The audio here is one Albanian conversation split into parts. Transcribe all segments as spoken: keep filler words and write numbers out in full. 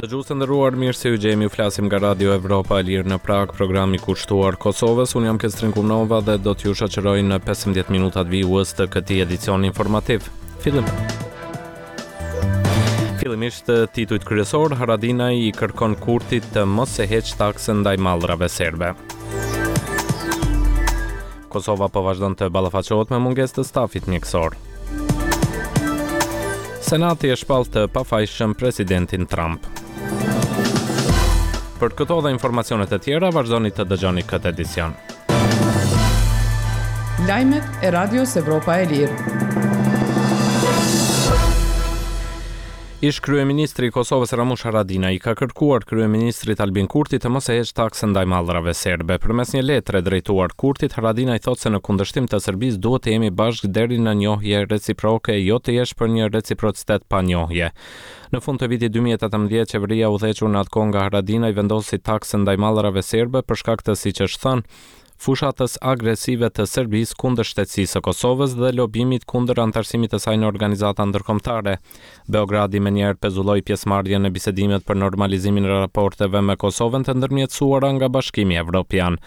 Dëgjues të nderuar, mirë se ju gjejmë, ju flasim nga Radio Evropa e Lirë në Prag, programi kushtuar Kosovës. Unë jam Kestrin Kumnova dhe do t'ju shoqëroj në pesëmbëdhjetë minutat vijues të këtij edicioni informativ. Fillim. Fillimisht titujt kryesor, Haradinaj i kërkon Kurtit të mos e heq taksën ndaj mallrave serbe. Kosova po vazhdon të ballafaqohet me mungesë të stafit mjekësor. Senati e shpall të pafajshëm presidentin Trump. Për këto dhe informacionet e tjera, vazhdoni të dëgjoni këtë edicion. Lajmet e Radios Evropa e Lirë. Ish kryeministri i Kosovës Ramush Haradinaj i ka kërkuar kryeministrit Albin Kurti të mos e heq taksën ndaj mallrave serbe. Përmes një letre drejtuar Kurtit, Haradinaj thotë se në kundërshtim të Serbisë duhet të jemi bashkë deri në njohje reciproke, jo të jesh për një reciprocitet pa njohje. Në fund të vitit dy mijë e tetëmbëdhjetë, qeveria udhëhequr në atë kohë nga Haradinaj vendosi taksën ndaj mallrave serbe për shkak të, siç është thënë, fushatës agresive të Serbisë kundër shtetësisë së Kosovës dhe lobimit kundër anëtarësimit të saj në organizata ndërkombëtare. Beogradi menjëherë pezulloi pjesëmarrjen në bisedimet për normalizimin e raporteve me Kosovën të ndërmjetësuara nga Bashkimi Evropian.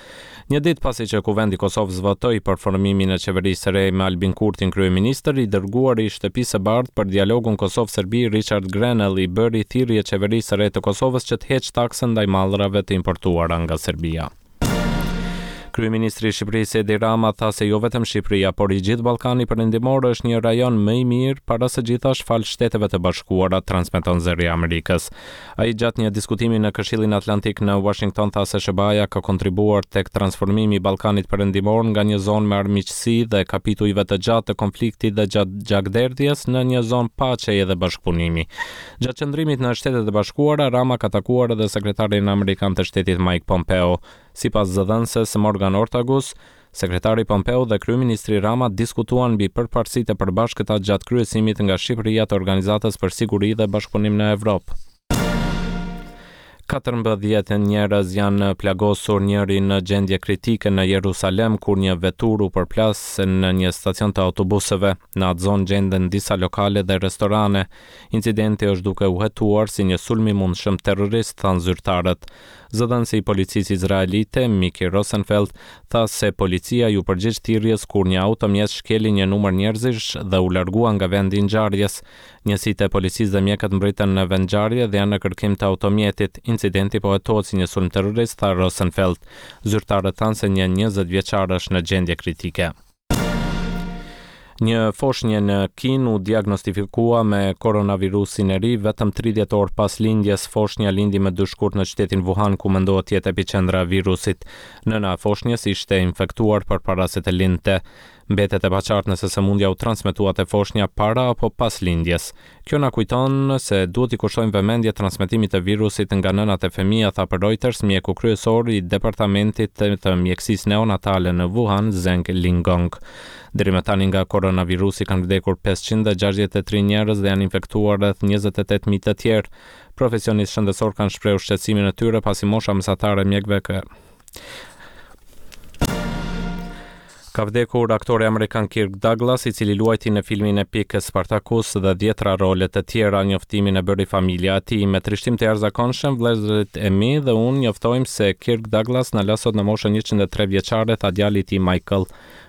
Një ditë pasi që Kuvendi i Kosovës votoi për formimin e qeverisë së re me Albin Kurtin kryeministër, i dërguari i Shtëpisë së Bardhë për dialogun Kosovë-Serbi Richard Grenell i bëri thirrje qeverisë së re të Kosovës që të heqë taksën ndaj mallrave të importuara nga Serbia. Kryeministri i Shqipërisë Edi Rama tha se jo vetëm Shqipëria, por i gjithë Ballkani Perëndimor është një rajon më i mirë para së gjithash fal Shteteve të Bashkuara, transmeton Zëri i Amerikës. Ai gjatë një diskutimi në Këshillin Atlantik në Washington tha se S H B A-ja ka kontribuar tek transformimi i Ballkanit Perëndimor nga një zonë me armiqësi dhe kapitujve të gjatë të konfliktit dhe gjatë gjakderdhjes në një zonë paqeje dhe bashkëpunimi. Gjatë qëndrimit në Shtetet e Bashkuara, Rama ka takuar edhe sekretarin amerikan të shtetit Mike Pompeo. Sipas zëdhënëses Morgan Ortagus, sekretari Pompeo dhe kryeministri Rama diskutuan mbi përparësitë e përbashkëta gjatë kryesimit nga Shqipëria të Organizatës për Siguri dhe Bashkëpunim në Evropë. Katërmbëdhjetë njerëz janë plagosur, njëri në gjendje kritike në Jerusalem kur një veturë u përplas në një stacion të autobusëve. Në atë zonë gjenden disa lokale dhe restorane. Incidenti është duke u hetuar si një sulm i mundshëm terrorist, thanë zyrtarët. Zëdhënësi i policisë izraelite, Miki Rosenfeld, tha se policia ju përgjigj thirrjes kur një automjet shkeli një numër njerëzish dhe u largua nga vendi i ngjarjes. Njësitë e policisë dhe mjekët mbritën në vendngjarje dhe janë në kërkim të automjetit. Incidenti po hetohet si një sulm terrorist, tha Rosenfeld. Zyrtarët thanë se një njëzet vjeçar është në gjendje kritike. Një foshnjë në Kinë u diagnostifikua me koronavirusin e ri vetëm tridhjetë orë pas lindjes. Foshnja lindi më dy shkurt në qytetin Wuhan, ku mendohet të jetë epiqendra e virusit. Nëna e foshnjës ishte infektuar përpara se të lindte. Mbetet e paqartë nëse sëmundja u transmetua te foshnja para apo pas lindjes. Kjo na kujton se duhet i kushtojmë vëmendje transmetimit të virusit nga nënat e fëmija, tha për Reuters mjeku kryesor i departamentit të, të mjekësisë neonatale në Wuhan, Zheng Lingong. Deri më tani nga koronavirusi kanë vdekur pesëqind e gjashtëdhjetë e tri njerëz dhe janë infektuar rreth njëzet e tetë mijë të tjerë. Profesionistë shëndetësor kanë shprehur shqetësimin e tyre pasi mosha mesatare e mjekëve ka Ka vdekur aktori amerikan Kirk Douglas, i cili luajti në filmin epik Spartacus dhe dhjetra role të tjera. Njoftimin e bëri familja e tij. Me trishtim të jashtëzakonshëm, vëllezërit e mi dhe unë njoftojmë se Kirk Douglas na la sot në moshën njëqind e tre vjeçare, tha djali i tij Michael,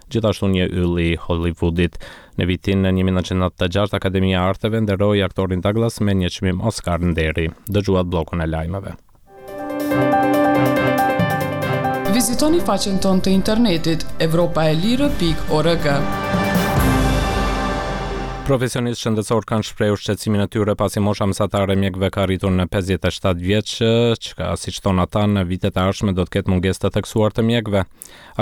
gjithashtu një yll i Hollywoodit. Në vitin një mijë e nëntëqind e nëntëdhjetë e gjashtë, Akademia e Arteve nderoi aktorin Douglas me një çmim Oscar nderi. Dëgjuat bllokun e lajmeve. Vizitoni faqen tonë të internetit evropa e lirë pikë org. Profesionistë shëndetësor kanë shprehur shqetësimin e tyre pasi mosha mesatare e mjekëve ka arritur në pesëdhjetë e shtatë vjeç, çka, siç thon ata, në vitet e ardhshme do të ketë mungesë të theksuar të mjekëve.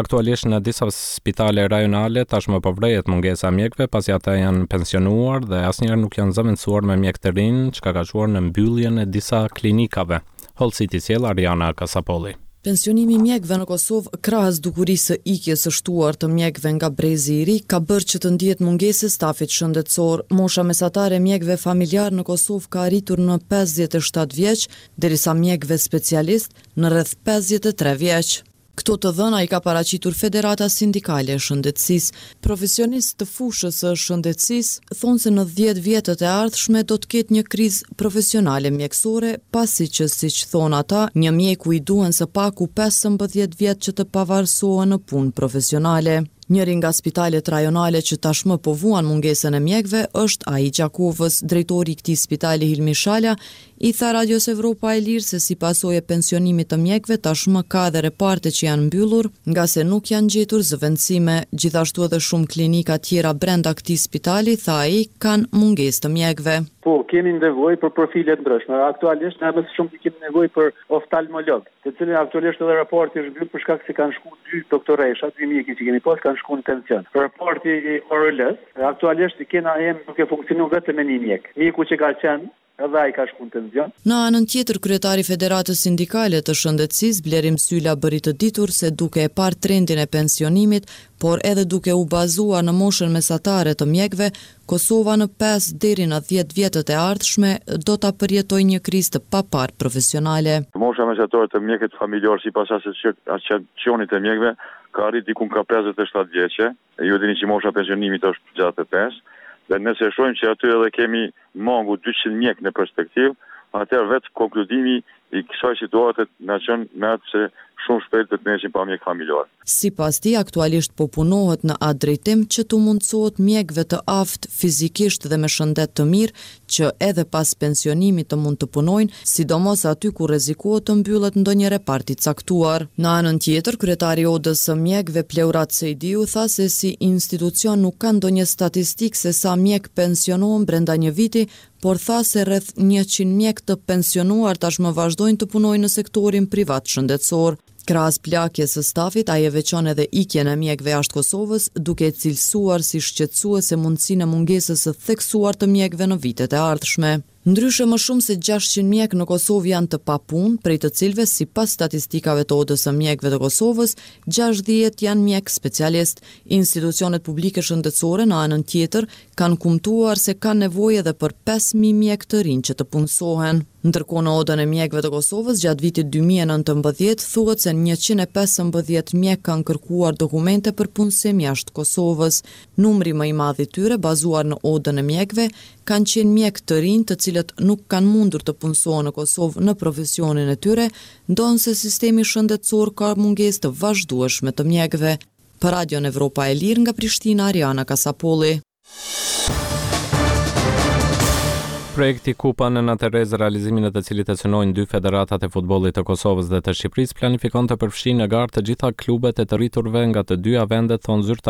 Aktualisht në disa spitale rajonale tashmë po vrehet mungesa e mjekëve pasi ata janë pensionuar dhe asnjëherë nuk janë zëvendësuar me mjekë të rinj, çka ka çuar në mbylljen e disa klinikave. Hollësitë i sjell Ariana Kasapolli. Pensionimi i mjekëve në Kosovë, krahas dukurisë së ikjes së shtuar të mjekëve nga brezi i ri, ka bërë që të ndihet mungesë e stafit shëndetësor. Mosha mesatare e mjekëve familjar në Kosovë ka arritur në pesëdhjetë e shtatë vjeç, derisa mjekëve specialist në rreth pesëdhjetë e tre vjeç. Këto të dhëna i ka paraqitur Federata Sindikale e Shëndetësisë. Profesionistë të fushës së shëndetësisë thonë se në dhjetë vjetët e ardhshme do të ketë një krizë profesionale mjekësore, pasi që, siç thonë ata, një mjeku i duhen së paku pesëmbëdhjetë vjet që të pavarësohen në punë profesionale. Njëri nga spitalet rajonale që tashmë po vuan mungesën e mjekëve është ai i Gjakovës. Drejtori i këtij spitali Hilmi Shala i tha Radios Evropa e Lirë se si pasojë e pensionimit të mjekëve tashmë ka edhe reparte që janë mbyllur, ngase nuk janë gjetur zëvendësime. Gjithashtu edhe shumë klinika tjera brenda këtij spitali, tha ai, kanë mungesë të mjekëve. Po, kemi nevojë për profile të ndryshme. Aktualisht ne më së shumti kemi nevojë për oftalmolog, të cilin aktualisht edhe raporti është mbyllur për shkak se kanë shku dy doktoresha, dy mjekë që kemi pas kanë shku në pension. Raporti i O R L-s, aktualisht kena jemi duke funksionu vetëm me një mjek. Mjeku që ka qenë edhe ai ka shku në pension. Në anën tjetër, kryetari i Federatës Sindikale të Shëndetësisë, Blerim Syla, bëri të ditur se duke e parë trendin e pensionimit, por edhe duke u bazuar në moshën mesatare të mjekëve, Kosova në pesë deri në dhjetë vjetët e ardhshme do ta përjetojë një krizë të paparë profesionale. Mosha mesatare të mjekët familjar sipas asociacionit të mjekëve ka arrit diku ka pesëdhjetë e shtatë vjeçe. Ju e dini që mosha e pensionimit është gjashtëdhjetë e pesë. Dhe nëse shohim që aty edhe kemi mangu dyqind mjek në perspektivë, atëherë vetë konkludimi i kësaj situate na çon me atë se shumë shpejt do të mbesim pa mjek familjar. Sipas tij, aktualisht po punohet në atë drejtim që t'u mundësohet mjekëve të aftë fizikisht dhe me shëndet të mirë, që edhe pas pensionimit të mund të punojnë, sidomos aty ku rrezikohet të mbyllet ndonjë repart i caktuar. Në anën tjetër, kryetari i Odës së Mjekëve Pleurat Sejdiu tha se si institucion nuk ka ndonjë statistikë se sa mjek pensionohen brenda një viti, por tha se rreth njëqind mjek të pensionuar tashmë vazhdojnë të punojnë në sektorin privat shëndetësor. Krahas plakjes së stafit, ai e veçon edhe ikjen e mjekëve jashtë Kosovës, duke e cilësuar si shqetësuese mundësinë e mungesës së theksuar të mjekëve në vitet e ardhshme. Ndryshe, më shumë se gjashtëqind mjek në Kosovë janë të papunë, prej të cilëve, sipas statistikave të Odës së Mjekëve të Kosovës, gjashtëdhjetë janë mjek specialist. Institucionet publike shëndetësore në anën tjetër kanë kumtuar se kanë nevojë edhe për pesë mijë mjek të rinj që të punësohen. Ndërkohë, në Odën e Mjekëve të Kosovës gjatë vitit dy mijë e nëntëmbëdhjetë thuhet se njëqind e pesëmbëdhjetë mjek kanë kërkuar dokumente për punësim jashtë Kosovës. Numri më i madh i tyre, bazuar në Odën e Mjekëve, kanë qenë mjek të rinj të cilët nuk kanë mundur të punësohen në Kosovë në profesionin e tyre, ndonëse sistemi shëndetësor ka mungesë të vazhdueshme të mjekëve. Për Radion Evropa e Lirë nga Prishtina, Ariana Kasapolli. Projekti Kupa Nëna Terezë, realizimin e të cilit e synojnë dy federatat e futbollit të Kosovës dhe të Shqipërisë, planifikon të përfshijë në garë të gjitha klubet e të rriturve nga të dyja vendet, thonë zyrtarët.